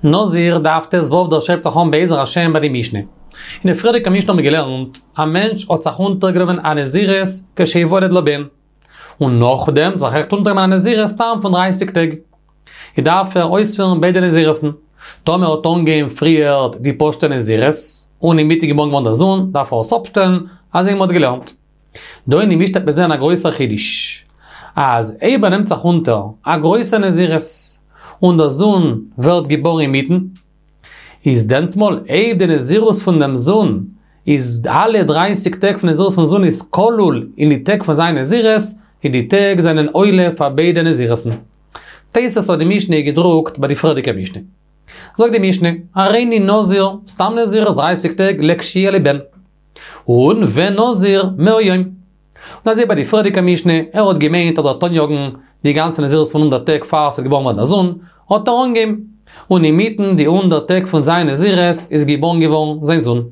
נזיר דף ט"ו דער הייבט זיך אן בעזר השם ביי די משנה. אין די פריערדיגע משנה האבן מיר געלערנט, א מענטש האט זיך אונטערגענומען א נזירות כשיוולד לו בן, און נאכדעם זיך אויכעט אונטערגענומען א נזירות סתם פון דרייסיג טעג. איז דארף ער אויספירן ביידע נזירות'ן. טאמער האט אנגעהויבן פריערט די פשוטע נזירות, און אינמיטן געבארן געווארן דער זון, דארף ער עס אפשטעלן, אזוי ווי מ'האט געלערנט. דא אין די משנה וועט מען זען א גרויסער חידוש, אז אויב ער נעמט זיך אונטער א גרויסע נזירות, און דער זון ווערט געבארן אינמיטן, איז דענסמאל אויב די נזירות פון דעם זון איז אלע דרייסיג טעג פון נזירות פון זון איז כלול אין די טעג פון זיין נזירות, איז די טעג זענען עולה פאר ביידע נזירות'ן. תוס' אויף די משנה איז געדרוקט ביי די פריערדיגע משנה. זאגט די משנה, הריני נזיר, סתם נזירות דרייסיג טעג לכשיהיה לי בן. און ונזיר מאה יום. און אזוי ביי די פריערדיגע משנה, ער האט געמיינט אז ער וועט אניאגן די גאנצע נזירות פון הונדערט טעג פאר ס'וועט געבארן ווערן א זון, האט ער אנגעהויבן, און אינמיטן די הונדערט טעג פון זיין נזירות איז געבארן געווארן זיין זון.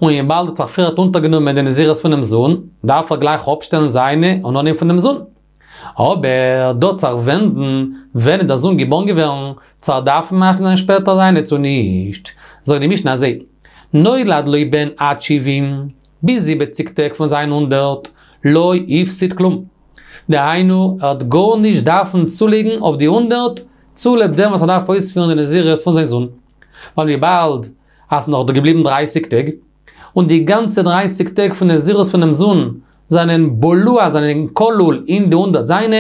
און וויבאלד ער האט זיך פריערט אונטערגענומען די נזירות פונעם זון, דארף ער גלייך אפשטעלן זיינע און אנהייבן פון דעם זון. אבער דא וועט זיך ווענדן ווען איז דער זון געבארן געווערן, צו ער דארף משלים זיין שפעטער זיינע צו נישט. זאגט די משנה אזוי, נולד לו בן עד שבעים, ביז זיבעציג טעג פון זיין הונדערט, לא הפסיד כלום. דהיינו, ער האט גארנישט דארפן צולייגן אויף די הונדערט, צוליב דעם וואס ער דארף אויספירן די נזירות פון זיין זון. ווייל וויבאלד אז ס'נאך דא געבליבן דרייסיג טעג, און די גאנצע דרייסיג טעג פון נזירות פונעם זון זענען בלוע, זענען כלול אין די הונדערט זיינע,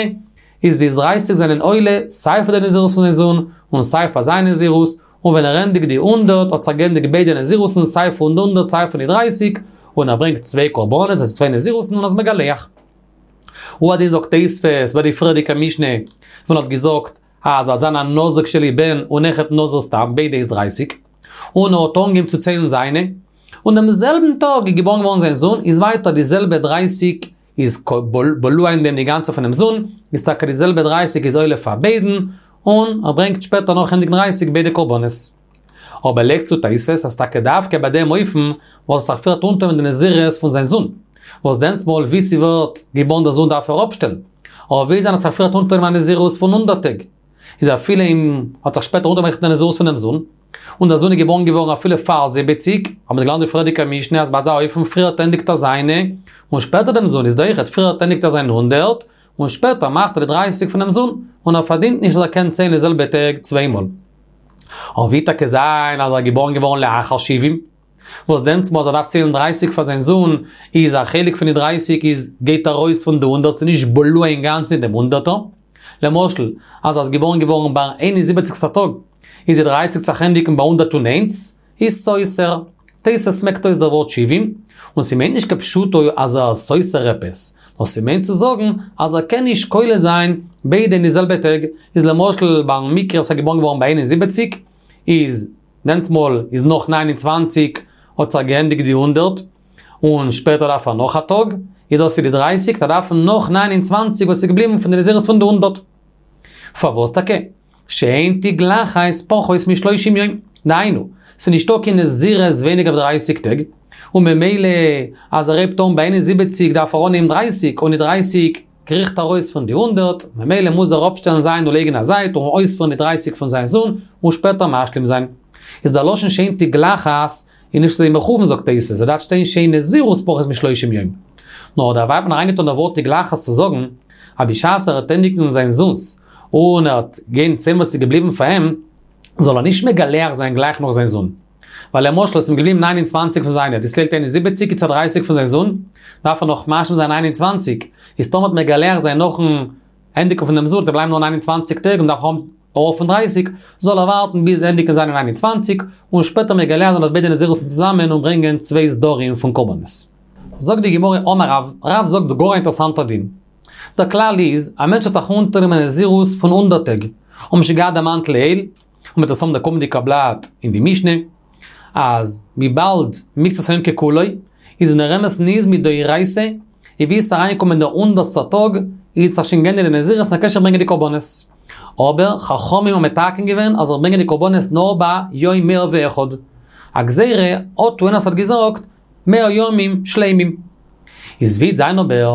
איז די דרייסיג זענען עולה סיי פאר די נזירות פון זיין זון, און סיי פאר זיין נזירות, און ווען ער ענדיגט די הונדערט האט זיך געענדיגט ביידע נזירות'ן סיי פון די הונדערט סיי פון די דרייסיג, און ער ברענגט צוויי קרבנות, דאס איז צוויי נזירות'ן און איז מגלח. הוא הדין זאגט תוספות ביי די פריערדיגע משנה, ווען ער האט געזאגט אז ער וועט זיין א נזיר כשיהיה לו בן און אויכעט נזיר סתם, ביידע איז דרייסיג, און ער האט אנגעהויבן צו ציילן זיינע, און דעם זעלבן טאג איז געבארן געווארן זיין זון, איז ווייטער די זעלבע דרייסיג איז בלוע אין דעם די גאנצע פונעם זון, איז טאקע די זעלבע דרייסיג איז עולה פאר ביידן, און ער ברענגט שפעטער נאך ענדיגן דרייסיג ביידע קרבנות. אבער לייגט צו תוספות אז טאקע דווקא ביי דעם אופן וואס ער האט זיך פריערט אונטערגענומען די נזירות פון זיין זון, וואס דענסמאל ווי ס'ווערט געבארן דער זון דארף ער אפשטעלן, אבער ווי זיין האט זיך פריערט אונטערגענומען א נזירות פון הונדערט טעג, איז אפילו אים האט זיך שפעטער אונטערגענומען די נזירות פונעם זון, און דער זון איז געבארן געווארן אפילו פאר זיבעציג, האבן מיר געלערנט די פריערדיגע משנה אז ביי אזא אופן פריערט ענדיגט ער זיינע, און שפעטער דעם זון איז דא אויכעט פריערט ענדיגט ער זיין הונדערט, און שפעטער מאכט ער די דרייסיג פונעם זון, און ער פארדינט נישט אז ער קען ציילן די זעלבע טעג צוויי מאל. אבער ווי טאקע זיין אז ער איז געבארן געווארן לאחר שבעים, וואס דענסמאל אז ער דארף ציילן דרייסיג פאר זיין זון, איז א חלק פון די דרייסיג איז גייט ארויס פון די הונדערט ס'איז נישט בלוע אינגאנצן אין דעם הונדערטער. למשל, אז ער איז געבארן געווארן ביי איין און זיבעציגסטע טאג, איז די דרייסיג זיך ענדיגן ביי הונדערט און איינס, איז סותר. תוס' מעקט אויס דער ווארט שבעים, און ס'מיינט נישט כפשוטו אז ער איז סותר עפעס, נאר ס'מיינט צו זאגן אז ער קען נישט כולל זיין ביידע אין די זעלבע טעג, איז למשל ביים מקרה וואס ער איז געבארן געווארן ביי איין און זיבעציג, איז דענסמאל איז נאך ניין און צוואנציג האט זיך געענדיגט די הונדערט, און שפעטער דארף ער נאך א טאג, איז דאס איז די דרייסיג, ער דארף נאך ניין און צוואנציג וואס איז געבליבן פון די נזירות פון די הונדערט. פארוואס טאקע? שאין תגלחת פחות משלושים יום, דהיינו, ס'איז נישטא קיין נזירות ווייניגער ווי דרייסיג טעג, און ממילא אז ער הייבט אן ביי איין און זיבעציג דארף ער אנהייבן דרייסיג, און די דרייסיג קריכט ארויס פון די הונדערט, ממילא מוז ער אפשטעלן זיין און לייגן א זייט און אויספירן די דרייסיג פון זיין זון, און שפעטער משלים זיין. איז דער לשון שאין תגלחת איז נישט אזוי מכוון זאגט תוספות, עס דארף שטיין שאין נזירות פחות משלושים יום. נאר דערביי האט מען אריינגעטון דער ווארט תגלחת צו זאגן, אז בשעת ער וועט ענדיגן זיין זון'ס, און ער וועט גיין ציילן וואס איז געבליבן פאר אים, זאל ער נישט מגלח זיין גלייך נאך זיין זון. ווייל למשל עס איז אים געבליבן ניין און צוואנציג פון זיינע, דאס ציילט איין און זיבעציק איז צו דרייסיג פון זיין זון, דארף ער נאך משלים זיין ניין און צוואנציג, איז טאמער וועט מגלח זיין נאכן ענדיגן פון דעם זון, וועט בלייבן נאר ניין און צוואנציג טעג און דארף האבן אויך פון דרייסיג, זאל ער ווארטן ביז ענדיגן זיינע ניין און צוואנציג, און שפעטער מגלח זיין אויף ביידע נזירות'ן צוזאמען און ברענגען צוויי סדרים פון קרבנות. זאגט די גמרא אמר רב, רב זאגט גאר א אינטערעסאנטער דין. דער כלל איז, א מענטש האט זיך אונטערגענומען נזירות פון הונדערט טעג, האבן שוין געהאט דערמאנט לעיל, און מ'וועט עס האבן די קומענדיגע בלאט אין די משנה, אז וויבאלד מקצת היום ככולו, איז אין דער אמת'ן איז מדאורייתא, איז ווי עס איז אריינגעקומען דער הונדערטסטער טאג, איז זיך שוין געענדיגט די נזירות און ער קען שוין ברענגען די קרבנות. אבער חכמים האבן מתקן געווען אז ער זאל ברענגען די קרבנות נאר ביי יום מאה ואחד. א גזירה, אטו יענער האט געזאגט, מאה ימים שלימים. איז ווי וועט זיין אבער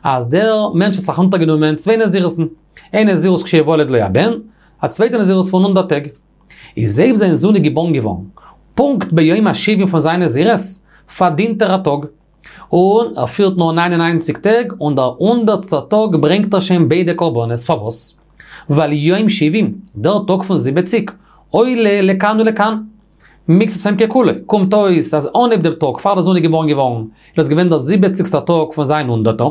אז דער מענטש האט זיך אונטערגענומען צוויי נזירות'ן, איין נזירות כשיוולד לו הבן, א צווייטע נזירות פון הונדערט טעג. איז אויב זיין זון איז געבארן געווארן פונקט ביום השבעים פון זיין נזירות, פארדינט ער א טאג. און ער פירט נאר ניין און ניינציג טעג, און דער הונדערטסטער טאג ברענגט ער שוין ביידע קרבנות. פארוואס? ווייל יום שבעים, דער טאג פון זיבעציג, עולה לכאן ולכאן. מקצת היום ככולו, קומט אויס אז אנהייב דעם טאג פאר דער זון איז געבארן געווארן, איז דאס געווען דער זיבעציגסטער טאג פון זיין הונדערטער,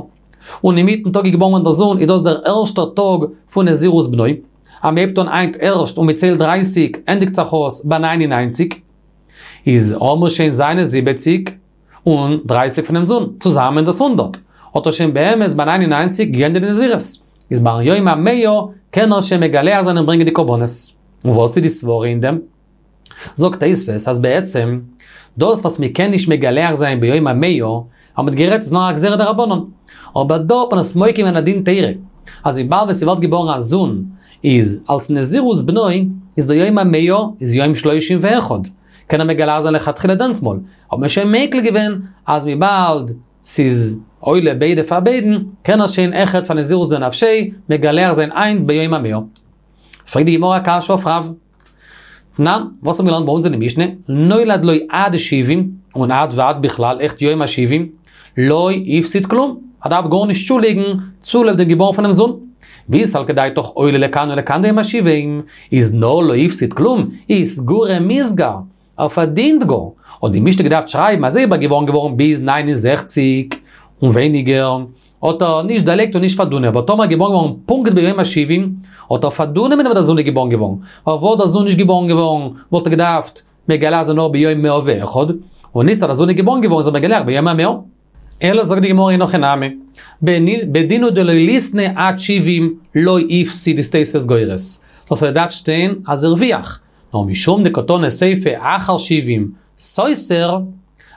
און אינמיטן טאג איז געבארן געווארן דער זון, איז דאס דער ערשטער טאג פון נזירות בנו. אז מ'הייבט אן היינט ערשט און מ'ציילט דרייסיג, ענדיגט זיך אויס ביי ניין און ניינציג. איז האמיר שוין זיינע זיבעציג און דרייסיג פונעם זון, צוזאמען דאס הונדערט, האט ער שוין באמת ביי ניין און ניינציג געענדיגט די נזירות. איז ביים יום המאה קען ער שוין מגלח זיין און ברענגען די קרבנות. און וואס איז די סברה אין דעם? זאגט תוספות אז בעצם דאס וואס מען קען נישט מגלח זיין ביום המאה, האט מען גערעדט איז נאר א גזירה דרבנן, אבער דא האט מען עס מוקים געווען א דין תורה, אז וויבאלד ווען ס'ווערט געבארן א זון איז אלס נזירות בנו איז דער יום המאה איז יום שלושים ואחד, קען ער מגלח זיין לכתחילה דענסמאל, האט מען שוין מיקל געווען אז וויבאלד ס'איז עולה ביידע פאר ביידן, קען ער שוין אויכעט פאר נזירות דנפשיה מגלח זיין היינט ביום המאה. פרעגט די גמרא א קשיא אויף רב. תנן, וואס האבן מיר געלערנט ביי אונז אין די משנה? נולד לו עד שבעים, און עד ועד בכלל, אויכעט יום השבעים, לא הפסיד כלום, ער דארף גארנישט צולייגן צוליב דעם געבארן פונעם זון. ואי סלקא דעתך עולה לכאן ולכאן דיום השבעים, איז נאר לא הפסיד כלום, איז סגורי מיסגר, ער פארדינט גאר, האט די משנה געדארפט שרייבן אז אויב ער געבארן געווארן ביז 69 און ווייניגער, האט ער נישט דערלייגט און נישט פארדונען, אבער טאמער געבארן געווארן פונקט ביום השבעים, האט ער פארדונען מיט דעם וואס דער זון איז געבארן געווארן, ווייל וואלט דער זון נישט געבארן געווארן, וואלט ער געדארפט מגלח זיין נאר ביום מאה ואחד, און איצט אז דער זון איז געבארן געווארן איז ער מגלח ביום המאה. אלא זאגט די גמרא אין הכי נמי, בדין הוא דלא ליתני עד שבעים לא הפסיד איז תוספות גורס, דאס וואלט געדארפט שטיין אז הרוויח, נאר משום דקתני סיפא אחר שבעים סותר,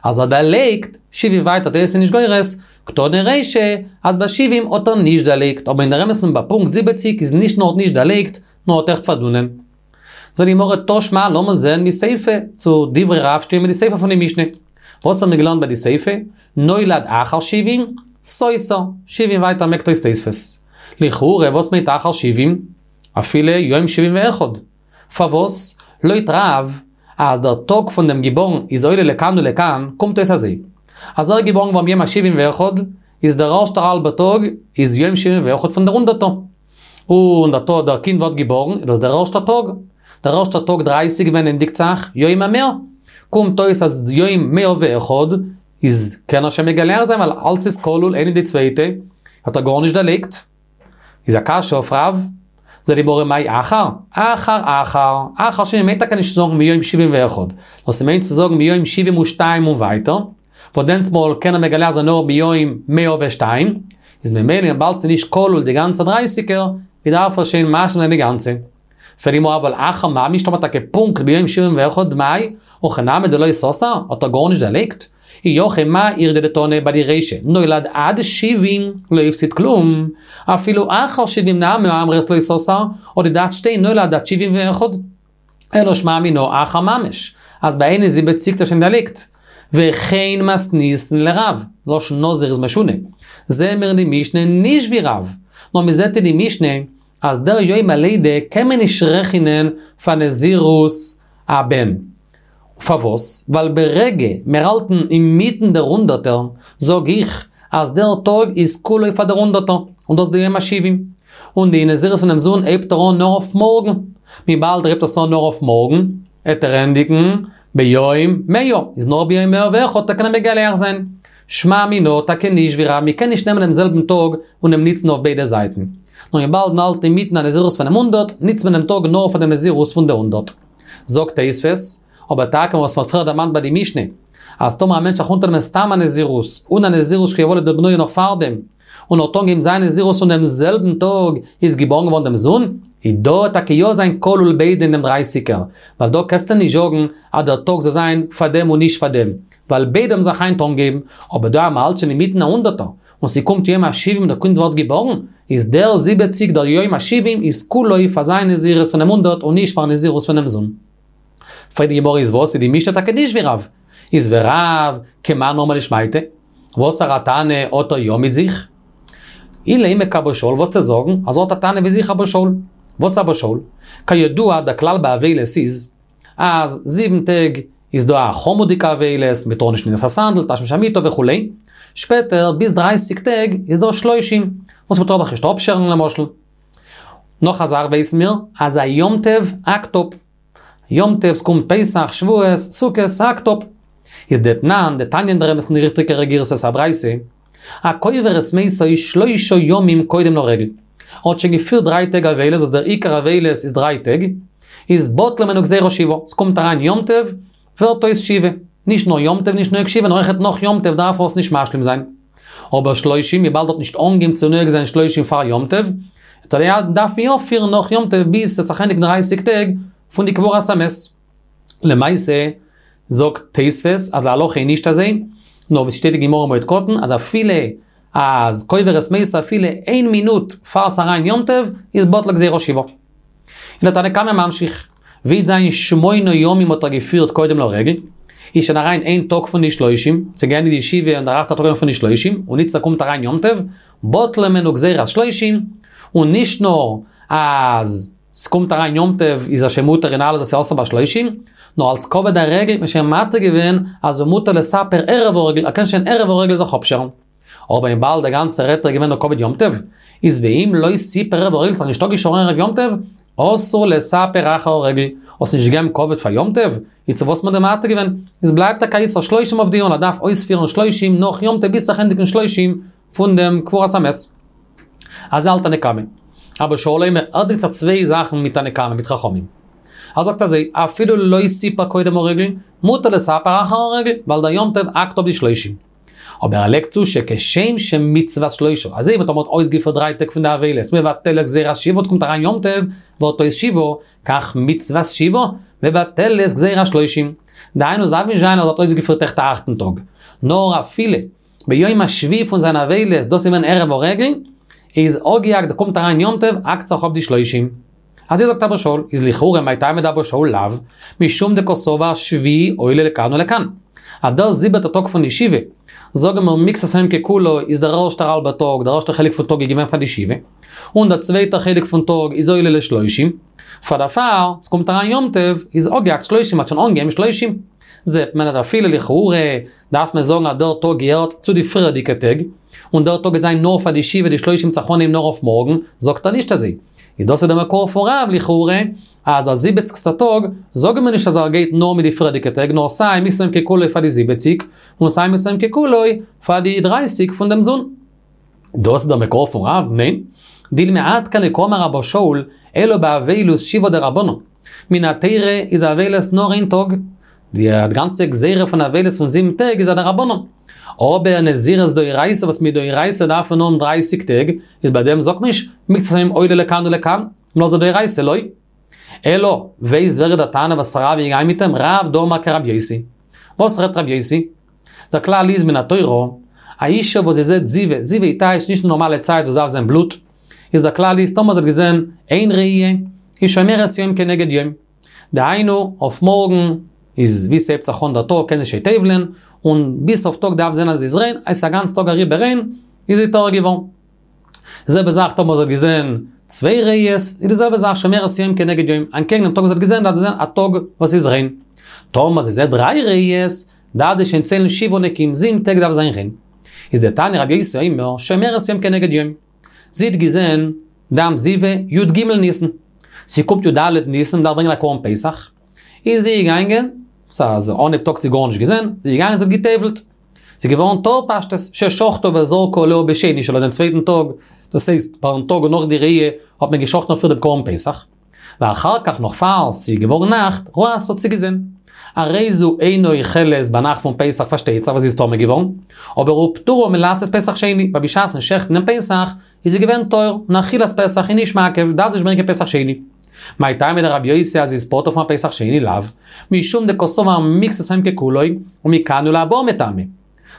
אז ער דערלייגט, שבעים ווייטער תוס' איז נישט גורס, קתני רישא, אז ביי שבעים האט ער נישט דערלייגט, אבער אין דער אמת'ן ביי פונקט זיבעציק איז נישט נאר האט נישט דערלייגט, נאר האט עכט פארדונען. זאגט די גמרא תא שמע לאמיר זען מסיפא צו דברי רב שטימען מיט די סיפא פון די משנה. וואס האבן מיר געלערנט ביי די סיפא? נולד אחר שבעים, סותר, שבעים ווייטער מעקט אויס תוספות. לכאורה וואס מיינט אחר שבעים? אפילו יום שבעים ואחד. פארוואס? לויט רב, אז דער טאג פון דעם געבארן איז עולה לכאן ולכאן, קומט אויס אזוי, אז ער איז געבארן געווארן ביום השבעים ואחד, איז דער ערשטער האלבער טאג איז יום שבעים ואחד פון דער הונדערטער. און דער טאג דער קינד ווערט געבארן איז דאס דער ערשטער טאג. דער ערשטער טאג דרייסיג ווען ענדיגט זיך יום המאה. קומט אויס אז יום מאה ואחד איז קען ער שוין מגלח זיין ווייל אלץ איז כלול איינע אין די צווייטע, האט ער גארנישט דערלייגט. איז א קשיא אויף רב? זאגט די גמרא מאי אחר? אחר אחר, אחר שבעים מיינט טאקע נישט צו זאגן מיום שבעים ואחד, נאר ס'מיינט צו זאגן מיום שבעים ושתיים און ווייטער, וואס דענסטמאל קען ער מגלח זיין נאר ביום מאה ושתיים, איז ממילא וויבאלד ס'איז נישט כלול די גאנצע דרייסיגער, איז דארף ער שוין משלים זיין די גאנצע. פרעגט די גמרא אבל אחר ממש טאמער טאקע פונקט ביום שבעים ואחד מאי, הכי נמי דלא סתר, האט ער גארנישט דערלייגט? אי הכי מה איריא דתנא ביי די רישא, נולד עד שבעים לא הפסיד כלום, אפילו אחר שבעים נמי הא אמרת לא סתר, האט געדארפט שטיין נולד עד שבעים ואחד. אלא שמע מינה אחר ממש, אז ביי איין און זיבעציק האט ער שוין דערלייגט. וכן מתניתין לרב, לשון נזיר איז משונה. זעהן מיר אין די משנה נישט ווי רב, נאר מ'זעהט אין די משנה אז דער יום הלידה קען מען נישט רעכענען פאר נזירות הבן. פארוואס? ווייל ברגע מיר האלטן אינמיטן דער הונדערטער, זאג איך אז דער טאג איז כולו פאר דער הונדערטער, און דאס איז די יום השבעים. און די נזירות פונעם זון הייבט ער אן נאר אויף מארגן. וויבאלד ער הייבט עס אן נאר אויף מארגן, העט ער ענדיגן ביום מאה, איז נאר ביום מאה ואחד וועט ער קענען מגלח זיין. שמע מינה טאקע נישט ווי רב, מ'קען נישט נעמען דעם זעלבן טאג און אים ניצן אויף ביידע זייטן. נאר וויבאלד מ'האלט אינמיטן א נזירות פונעם הונדערט, ניצט מען דעם טאג נאר פאר דעם נזירות פון די הונדערט. זאגט תוספות, אבער טאקע וואס מ'האט פריער דערמאנט ביי די משנה, אז טאמער א מענטש זיך אונטערנעמען סתם א נזירות, און א נזירות שיוולד לו בנו נאך פארדעם, און האט אנגעהויבן זיין נזירות און דעם זעלבן טאג איז געבארן געווארן דעם זון, איז דא וועט טאקע יא זיין כלול ביידע אין דעם דרייסיגער, ווייל דא קענסטו נישט זאגן אז דער טאג זאל זיין פאר דעם און נישט פאר דעם, ווייל ביידע האבן זיך היינט אנגעהויבן, אבער דא אז מ'האלט שוין אינמיטן א הונדערטער, און ס'קומט יום השבעים און דער קינד ווערט געבארן, איז דער זיבעציג דער יום השבעים איז כולו פאר זיין נזירות פונעם הונדערט און נישט פאר נזירות פונעם זון. פרעגט די גמרא איז וואס איז די משנה טאקע נישט ווי רב? איז ורב כמאן אמר לשמעתיה? וואסערע טענה האט ער יא מיט זיך? אילימא כאבא שאול וועסטו זאגן אז ער האט א טענה ווי זיך אבא שאול. וואס אבא שאול? כידוע דער כלל ביי אבילות איז. אז זיבן טעג איז דא א חמור'דיגע אבילות, מען טאר נישט נעילת הסנדל, תשמיש המיטה וכו', שפעטער ביז דרייסיג טעג איז דא שלושים, וואס מען טאר זיך נישט אפשערן למשל. נאך א זאך ווייסן מיר, אז א יום טוב האקט אפ. יום טוב, ס'קומט פסח, שבועות, סוכות, ס'האקט אפ. איז דתנן, דתניא אין דער אמת'ן די ריכטיגערע גירסא ס'איז א ברייתא, הקובר את מתו שלושה ימים קודם לרגל. ער האט שוין געפירט דריי טעג אבילות וואס דער עיקר אבילות איז דריי טעג, איז בטלה הימנו גזירת שבעה, ס'קומט אריין יום טוב, ווערט אויס שבעה. נישט נאר יום טוב נישט נוהג שבעה, נאר אויכעט נאך יום טוב דארף ער עס נישט משלים זיין. אבער שלושים, וויבאלד ער האט נישט אנגעהויבן צו נוהג זיין שלושים פאר יום טוב, דארף מען יא פירן נאך יום טוב ביז ס'וועט זיך ענדיגן דרייסיג טעג פון די קבורת המת. למעשה זאגט תוספות אז די הלכה איז נישט אזוי, נאר ווי ס'שטייט אין גמרא מועד קטן אז אפילו אז קובר את מתו אפילו איין מינוט פאר ס'אריין יום טוב איז בטלה גזירת שבעה. און דער תנא קמא ממשיך, ווי וועט זיין שמונה ימים האט ער געפירט קודם לרגל, איז שוין אריין איין טאג פון די שלושים, ס'איז געענדיגט די שבעה און דער אכטער טאג פון די שלושים, און איצטער קומט אריין יום טוב, בטלה הימנו גזירת שלושים, און נישט נאר אז ס'קומט אריין יום טוב איז ער שוין מותר אין אלעס וואס איז אסור בשלושים, נאר אלס כבוד הרגל האט מען שוין מתיר געווען אז ומותר לספר ערב הרגל, ער קען שוין ערב הרגל זיך אפשערן. אבער וויבאלד דער גאנצער היתר איז געווען נאר כבוד יום טוב, איז ואם לא סיפר ערב הרגל זיך נישט אפגעשארן ערב יום טוב, אסור לספר אחר הרגל, האסט נישט געגעבן כבוד פאר יום טוב, איז צו וואס האט מען דיר מתיר געווען? איז בלייבט טאקע איסור שלושים אויף דיר און ער דארף אויספירן שלושים נאך יום טוב ביז זיך ענדיגן שלושים פון דעם קבורת המת. אזוי האלט תנא קמא. אבא שאול אומר, ער דינגט זיך צוויי זאכן מיט תנא קמא, מיט חכמים. ער זאגט אזוי, אפילו לא סיפר קודם הרגל, מותר לספר אחר הרגל, ווייל דער יום טוב האקט אפ די שלושים. אבער ער לייגט צו שכשם שמצוות שלושה, אזוי ווי טאמער מ'האט אויסגעפירט דריי טעג פון די אבילות, מבטלת גזירת שבעה, קומט אריין יום טוב, ווערט אויס שבעה, כך מצוות שבעה, מבטלת גזירת שלושים. דהיינו עס דארף נישט זיין אז ער האט אויסגעפירט עכט א אכטן טאג, נאר אפילו ביום השביעי פון זיין אבילות, דאס איז געווען ערב הרגל, איז אפגעהאקט, קומט אריין יום טוב, האקט זיך אפ די שלושים. אזוי זאגט אבא שאול, איז לכאורה מאי טעמא דאבא שאול לאו, משום דקסבר שביעי עולה לכאן ולכאן. אז דער זיבעטע טאג פון די שבעה, זאגן מיר מקצת היום ככולו איז דער ערשטער האלבער טאג, דער ערשטער חלק פון טאג איז געווען פאר די שבעה, און דער צווייטער חלק פון טאג איז עולה לשלושים, פאר דערפאר, ס'קומט אריין יום טוב, איז אפגעהאקט שלושים, מ'האט שוין אנגעהויבן שלושים. זעט מען אז אפילו לכאורה דארף מען זאגן אז דער טאג געהערט צו די פריערדיגע טעג, און דער טאג גייט זיין נאר פאר די שבעה די שלושים וועט זיך אנהייבן נאר אויף מארגן, זאגט ער נישט אזוי. איז דאס איז דער מקור פון רב לכאורה, אז דער זיבעציגסטער טאג, זאגן מיר נישט אז ער גייט נאר מיט די פריערדיגע טעג, נאר סיי מקצת היום ככולו פאר די זיבעציג, און סיי מקצת היום ככולו פאר די דרייסיג פון דעם זון. דאס איז דער מקור פון רב? ניין. דילמא עד כאן לא קאמר אבא שאול, אלא באבילות שבעה דרבנן. מן התורה איז אבילות נאר איין טאג. די גאנצע גזירה פון אבילות פון זיבן טעג איז א דרבנן. אבער נזירות דאורייתא וואס מדאורייתא דארף מען האבן דרייסיג טעג, איז ביי דעם זאגט מען נישט מקצת היום עולה לכאן ולכאן, נאר ס'איז דאורייתא לא. אלא, ווייסט ווער איז דער תנא וואס רב איז געגאנגען מיט אים? רב דאמר כרבי יוסי. וואס רעדט רבי יוסי? דער כלל איז מן התורה, א אישה וואס זי זעט זיבה, זיבה איז טייטש נישט נארמאלע צייט וואס דארף זיין בלוט, איז דער כלל איז טאמער זי האט געזען איין ראי', איז שומרת יום כנגד יום. דהיינו, אויף מארגן איז ווי ס'הייבט זיך אן דער טאג קען זי שוין טובל'ען, און ביז סוף טאג דארף זען אז זי איז ריין, אז ס'איז א גאנץ טאג אריבער ריין, איז זי טהור געווארן. די זעלבע זאך טאמער זי האט געזען צוויי ראיות, איז די זעלבע זאך שומרת יום כנגד יום, אנטקעגן דעם טאג וואס זי האט געזען דארף זי זען א טאג וואס איז ריין. טאמער זי זעט דריי ראיות, דארף זי שוין ציילן שבעה נקיים, זיבן טעג דארף זיין ריין. איז דתניא רבי יוסי אומר, שומרת יום כנגד יום. זי האט געזען דם זיבה י ג ניסן. ס'קומט י ד ניסן, מ'דארף ברענגען א קרבן פסח. איז זי געגאנגען, ס'איז אנהייב טאג האט זי גארנישט געזען, זי איז געגאנגען זי האט גע'טובל'ט. זי איז געווארן טהור פשטות, ששחטה וזרקה עליה בשני שלה דעם צווייטן טאג, דאס הייסט פארן טאג נאך די ראי' האט מען געשחטן אויף איר דעם קרבן פסח. ואחר כך נאך פאר ס'איז געווארן נאכט, ראתה האט זי געזען. הרי זו אינה אוכלת ביינאכט פון פסח פארשטייט זיך ווייל זי איז טמא געווארן, אבער ופטורה מלעשות פסח שני, ווייל בשעת'ן שעכטן דעם פסח איז זי געווען טהור, און אכילת פסח איז נישט מעכב, דארף זי נישט ברענגען פסח שני. מאי טעמא דרבי יוסי אז זי איז פטור פון א פסח שני לאו, משום דקסבר מקצת היום ככולו, ומכאן ולהבא מטמא.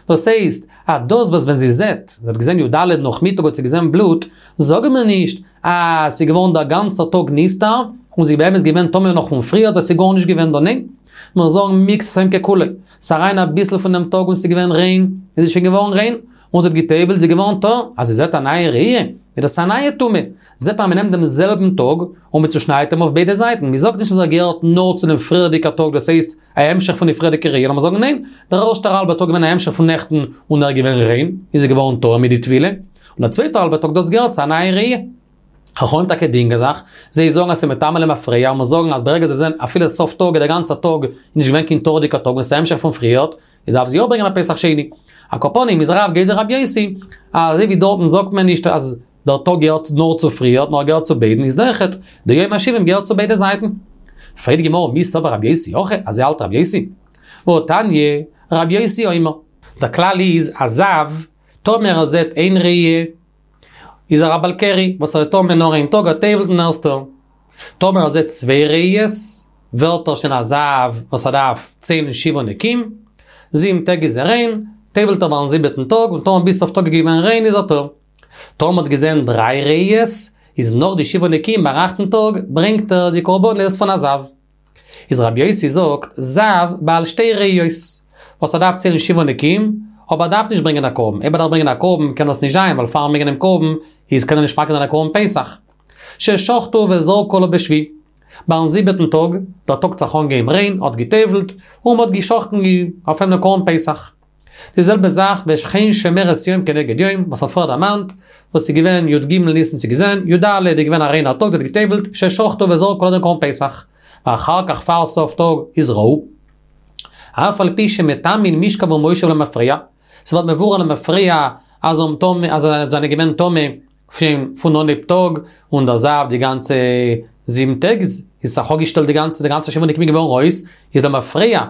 דאס הייסט, אז דאס וואס ווען זי זעט, זי האט געזען י ד נאכמיטאג האט זי געזען בלוט, זאגן מיר נישט אז ס'איז געווארן דער גאנצער טאג נסתר, און זי איז באמת געווען טמא נאך פון פריער דאס איז גארנישט געווען דא, ניין, מיר זאגן מקצת היום ככולו, ס'איז אריין אביסל פון דעם טאג און ס'איז געווען ריין, איז זי שוין געווארן ריין, און זי האט גע'טובל'ט, זי איז געווארן טהור, אז זי זעט א נייע ראי', איז דאס א נייע טומאה. זעט מען אז מ'נעמט דעם זעלבן טאג און מ'צושניידט אים אויף ביידע זייטן. מ'זאגט נישט אז ער געהערט נאר צו דעם פריערדיגע טאג, דאס הייסט, א המשך פון די פריערדיגע ראי', נאר מיר זאגן ניין, דער ערשטער האלבע טאג געווען א המשך פון נעכטן און ער איז געווען ריין, איז ער געווארן טהור מיט די טבילה, און דער צווייטער האלבע טאג דאס געהערט צו א נייע ראי'. חכמים טאקע דינגען זיך, זיי זאגן אז ס'איז מטמא למפרע, און מיר זאגן אז ברגע זיי זעען אפילו סוף טאג איז דער גאנצער טאג נישט געווען קיין טהור'דיגער טאג און ס'איז א המשך פון פריערט, איז דארף זי יא ברענגען א פסח שני. על כל פנים איז רב גייט ווי רבי יוסי, אזוי ווי דארטן זאגט מען נישט אז דער טאג געהערט נאר צו פריערט נאר געהערט צו ביידן איז אויכעט די יום השבעים געהערט צו ביידע זייטן. פרעגט די גמרא מי סבר רבי יוסי הכי, אזוי האלט רבי יוסי? והתניא, רבי יוסי אומר. דער כלל איז א זב, טאמער ער זעט איין ראי' איז ער א בעל קרי, וואס ער איז טמא נאר איין טאג ער טובל'ט און ער איז טהור. טאמער ער זעט צוויי ראיות, ווערט ער שוין א זב וואס ער דארף ציילן שבעה נקיים, זיבן טעג איז ער ריין, טובל'ט ער ביים זיבעטן טאג, און טאמער ביז סוף טאג איז געווען ריין איז ער טהור. טאמער מ'האט געזען דריי ראיות, איז נאך די שבעה נקיים ביים אכטן טאג ברענגט ער די קרבנות פון א זב. איז רבי יוסי זאגט, זב בעל שתי ראיות, וואס ער דארף ציילן שבעה נקיים, אבער ער דארף נישט ברענגען א קרבן, אויב ער דארף ברענגען א קרבן קען דאס נישט זיין, ווייל פארן ברענגען דעם קרבן איז קען ער נישט מקריב זיין א קרבן פסח. ששחטו וזרקו עליו בשביעי. ביים זיבעטן טאג, דער טאג האט זיך אנגעהויבן ריין, האט גע'טובל'ט, און מ'האט גע'שחט'ן אויף אים דעם קרבן פסח. די זעלבע זאך וכן שומרת יום כנגד יום, וואס מ'האט פריער דערמאנט, וואס איז געווען י ג ניסן צו געזען, י ד איז געווען א ריינער טאג, זי האט גע'טובל'ט, ששחטו וזרקו עליו דעם קרבן פסח. ואחר כך פאר סוף טאג איז ראו. אף על פי שמטמאין משכב ומושב למפרע, ס'ווערט מבורר למפרע אז זיי זענען געווען טמא פון אנהייב טאג, און דער זב די גאנצע זיבן טעג איז זיך אפגעשטעלט די גאנצע די גאנצע שבעה נקיים געווארן אויס, איז למפרע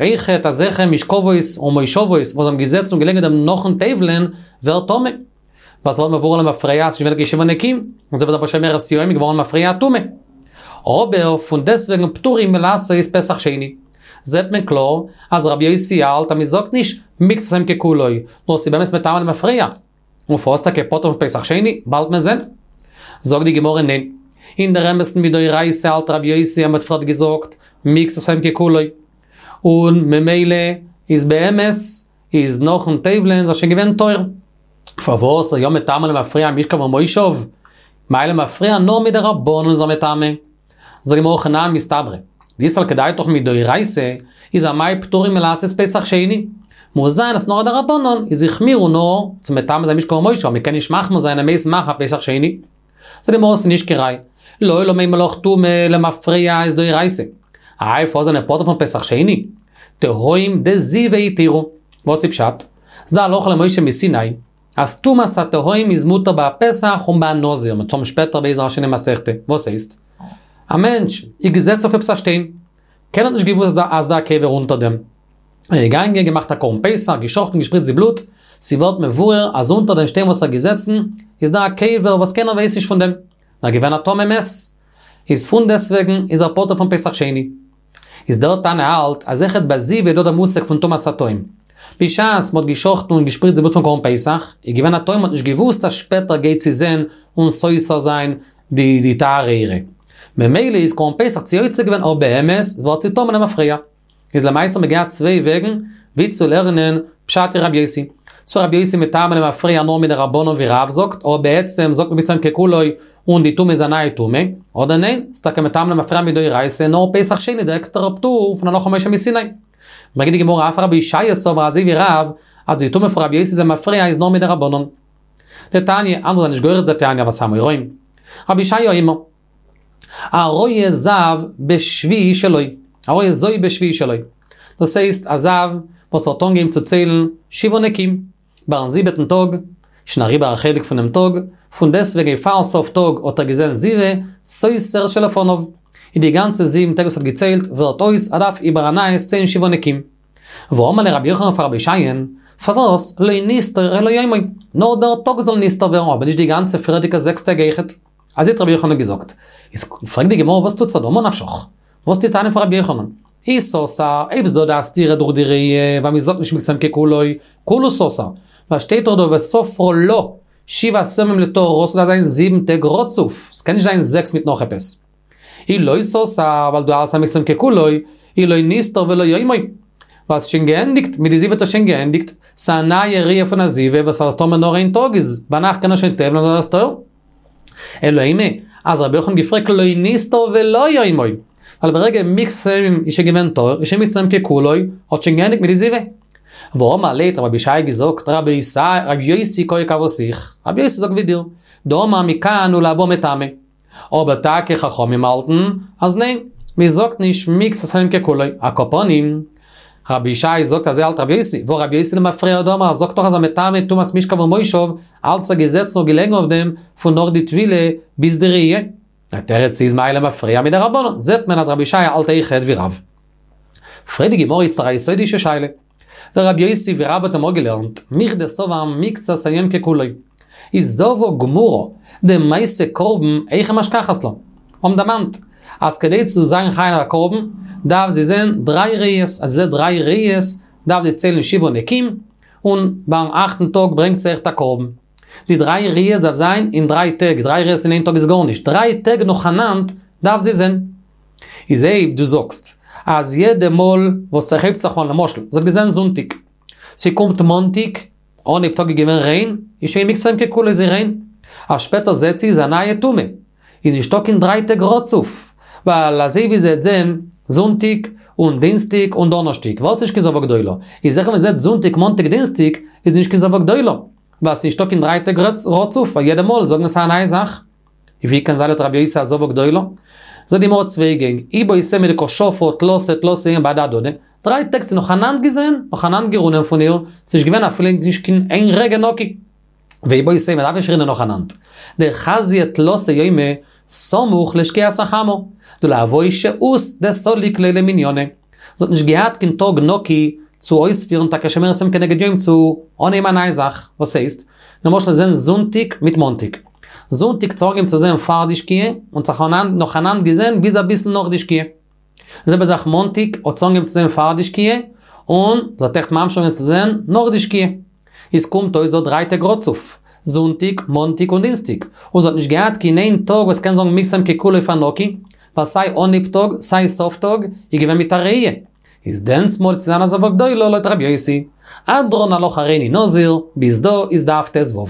אויכעט אזעלכע משכבות און מושבות וואס האבן געזעצן און געלעגן דעם נאכן טובל'ען ווערט טמא. ווייל ס'ווערט מבורר למפרע אז ס'איז נישט געווען קיין שבעה נקיים, און זיי ווערט שומרת יום געווארן למפרע טמא. אבער פון דעסטוועגן פטורים מלעשות פסח שני. זעט מען קלאר אז רבי יוסי האלט אז מ'זאגט נישט מקצת היום ככולו, נאר ס'איז באמת מטמא למפרע. און פארוואס טאקע פטור פון פסח שני? באלד מען זען. זאגט די גמרא ניין. אין דער אמת'ן מדאורייתא האלט רבי יוסי אז מ'האט פריערט געזאגט מקצת היום ככולו. און ממילא איז באמת איז נאכן טובל'ען איז ער שוין געווען טהור. פארוואס איז יא מטמא למפרע משכב ומושב? מאי למפרע נאר מדרבנן איז ער מטמא. זאגט די גמרא הכי נמי מסתברא. דאי סלקא דעתך מדאורייתא איז אמאי פטורים מלעשות פסח שני. מוז זיין אז נאר א דרבנן איז החמירו נאר צו מטמא זיין משכב ומושב, מ'קען נישט מחמיר זיין אז מ'הייסט מאכן א פסח שני. זאגט די גמרא ס'איז נישט קיין ראיה. לעולם אימא לך טומאה למפרע איז דאורייתא. איי פארוואס זענען פטור פון פסח שני? תהום דזיבה התירו. וואס איז פשט? ס'דא הלכה למשה מסיני אז טומאת התהום איז מותר ביי א פסח און ביי א נזיר, מ'וועט האבן שפעטער בעזר השם אין מסכתא. וואס הייסט? א מענטש איז געזעצן אויף עפעס א שטיין, קיינער האט נישט געוואוסט אז דא א קבר אונטער דעם. ער איז געגאנגען, געמאכט א קרבן פסח, געשחט'ן, געשפריצט די בלוט, ס'ווערט מבואר אז אונטער דעם שטיין וואס ער איז געזעצן, איז דא א קבר וואס קיינער ווייסט נישט פון דעם. ער איז געווען א טמא מת. איז פונדעסטוועגן איז ער פטור פון פסח שני. איז דער תנא האלט אז אויכעט ביי זיבה איז דא דער מושג פון טומאת התהום. בשעת מ'האט געשחט'ן און געשפריצט די בלוט פון קרבן פסח, איז געווען א תהום מ'האט נישט געוואוסט אז שפעטער גייט זי זען און סותר זיין די די טהרה אירע. ממילא איז קרבן פסח צו יוצא געווען אבער באמת ווערט זי טמא למפרע. איז למעשה האט מען געהאט צוויי וועגן ווי צו לערנען פשט אין רבי יוסי. צו רבי יוסי מטמא למפרע נאר מדרבנן ווי רב זאגט, אבער בעצם זאגט מען מקצת היום ככולו און די טומאה איז א נייע טומאה, אדער ניין, ס'איז טאקע מטמא למפרע מדאורייתא נאר פסח שני דער עקסטערער פטור פון הלכה למשה מסיני. ברענגט די גמרא אף רבי אושעיא סבר אזוי ווי רב אז די טומאה פון רבי יוסי למפרע איז נאר מדרבנן. דתניא, אנדערע זענען נישט גורס דתניא אבער ס'איז אמוראים. רבי אושעיא אומר. הרואה זב בשביעי שלו, הרואה זוב בשביעי שלו. דאס הייסט א זב וואס האט אנגעהויבן צו ציילן שבעה נקיים, ביים זיבעטן טאג, שוין אריבער א חלק פונעם טאג, פון דעסטוועגן פאר סוף טאג האט ער געזען זיבה, סותר שלפניו. און די גאנצע זיבן טעג וואס ער האט געציילט ווערט אויס, ער דארף איבער א נייעס ציילן שבעה נקיים. ואמר ליה רבי יוחנן פאר רבי אושעיא'ן, פארוואס לא נסתור אלא יומו, נאר דער טאג זאל נסתר ווערן אבער נישט די גאנצע פריערדיגע זעקס טעג אויכעט. אזוי האט רבי יוחנן געזאגט. איז פרעגט די גמרא וואס טוט זיך דא ממה נפשך? וואס די טענה פון רבי יוחנן? אי סתר, אויב איז דא די סתירה דורך די ראי' ווייל מ'זאגט נישט מקצת היום ככולו, כולהו סתר, ווייל שטייט דאך דא וספרה לה שבעת ימים לטהרה ס'דארף זיין זיבן טעג רצוף, ס'קען נישט זיין זעקס מיט נאך עפעס. אי לא סתר, ווייל דו האלסט אז מקצת היום ככולו, אי לא נסתור ולא יומו. ווייל ס'איז שוין געענדיגט, מיט די זיבה האט ער שוין געענדיגט, ס'איז א נייע ראיה פון א זיבה וואס אז טאמער נאר איין טאג איז ביינאכט קען ער שוין טובל'ן און ער איז טהור. אלא אימא, אז רבי יוחנן האט געפרעגט לא נסתר ולא יומו, ווייל ברגע מקצת היום איז שוין געווען טהור, איז שוין מקצת היום ככולו, האט שוין געענדיגט מיט די זיבה. ואמר ליה האט רבי אבישי געזאגט, רבי יוסי קאי כוותיך, רבי יוסי זאגט ווי דיר, דאמר מכאן ולהבא מטמא. אבער טאקע חכמים האלטן אז ניין, מען זאגט נישט מקצת היום ככולו, על כל פנים, רבי ישי זאגט אזוי האלט רבי יוסי, והא רבי יוסי למפרע הוא דאמר זאגט דאך אז מטמא טומאת משכב ומושב, אלץ ער געזעצן און געלעגן אויף דעם פון נאך די טבילה ביז די ראי'. די תירוץ איז מאי למפרע מדרבנן, זעט מען אז רבי ישי האלט אויכעט ווי רב. פרעגט די גמרא איצטער א יסודישע שאלה. ורבי יוסי ווי רב האט אמאל געלערנט, מכדי סבר מקצת היום ככולו. איז זבה גמורה, דמעשה קרבן, היכי משכחת לה. האבן דערמאנט, אז כדי צו זיין חייב א קרבן, דארף זי זען דריי ראיות, אז זי זעט דריי ראיות, דארף זי ציילן שבעה נקיים, און ביים אכטן טאג ברענגט זי אויכעט א קרבן. די דריי ראיות דארף זיין אין דריי טעג, דריי ראיות אין איין טאג איז גארנישט, דריי טעג נאכאנאנד דארף זי זען. איז אויב דו זאגסט אז יעדע מאל וואס ס'הייבט זיך אן, למשל, זי האט געזען זונטאג, ס'קומט מאנטאג, אנהייב טאג איז געווען ריין, איז שוין מקצת היום ככולו איז זי ריין. אז שפעטער זעט זי איז א נייע טומאה. איז נישטא קיין דריי טעג רצוף. ווייל אזוי ווי זי וועט זען זונטאג און דינסטאג און דאנערשטאג, ווייל ס'נישט קיין זבה גדולה. איז זיכער ווען זי זעט זונטאג מאנטאג דינסטאג, איז נישט קיין זבה גדולה. ווייל ס'נישטא קיין דריי טעג רצוף, ווייל יעדע מאל זאגן ס'איז א נייע זאך. ווי קען זיין לויט רבי יוסי א זבה גדולה? זאגט די גמרא צוויי גענג, איבעית אימא דקא שפא תלתא תלתא יומי בהדי הדדי, דריי טעג ס'איז נאכאנאנד געזען, נאכאנאנד גערונען פון איר, ס'נישט געווען אפילו נישט קיין איין רגע נקי. ואיבעית אימא מ'דארף נישט רינען נאכאנאנד. דחזיא תלתא יומי סמוך לשקיעת החמה, דלא הואי שהות דסליק ליה למניינא. זי האט נישט געהאט קיין טאג נקי צו אויספירן טאקע שומרת יום כנגד יום צו אנהייבן א נייע זאך, וואס הייסט? למשל זען זונטאג מיט מאנטאג. זונטאג האט זי אנגעהויבן צו זען פאר די שקיעה, און זיך נאכאנאנד געזען ביז אביסל נאך די שקיעה. די זעלבע זאך מאנטאג האט זי אנגעהויבן צו זען פאר די שקיעה, און זי האט עכט ממשיך געווען צו זען נאך די שקיעה. איז קומט אויס דא דריי טעג רצוף, זונטאג, מאנטאג און דינסטאג, און זי האט נישט געהאט קיין איין טאג וואס קען זאגן מקצת היום ככולו פאר נקי, ווייל סיי אנהייב טאג סיי סוף טאג איז געווען מיט א ראי'. איז דענסמאל צו זיין א זבה גדולה לויט רבי יוסי. הדרן עלך הריני נזיר, ביז דא איז דף ט"ו.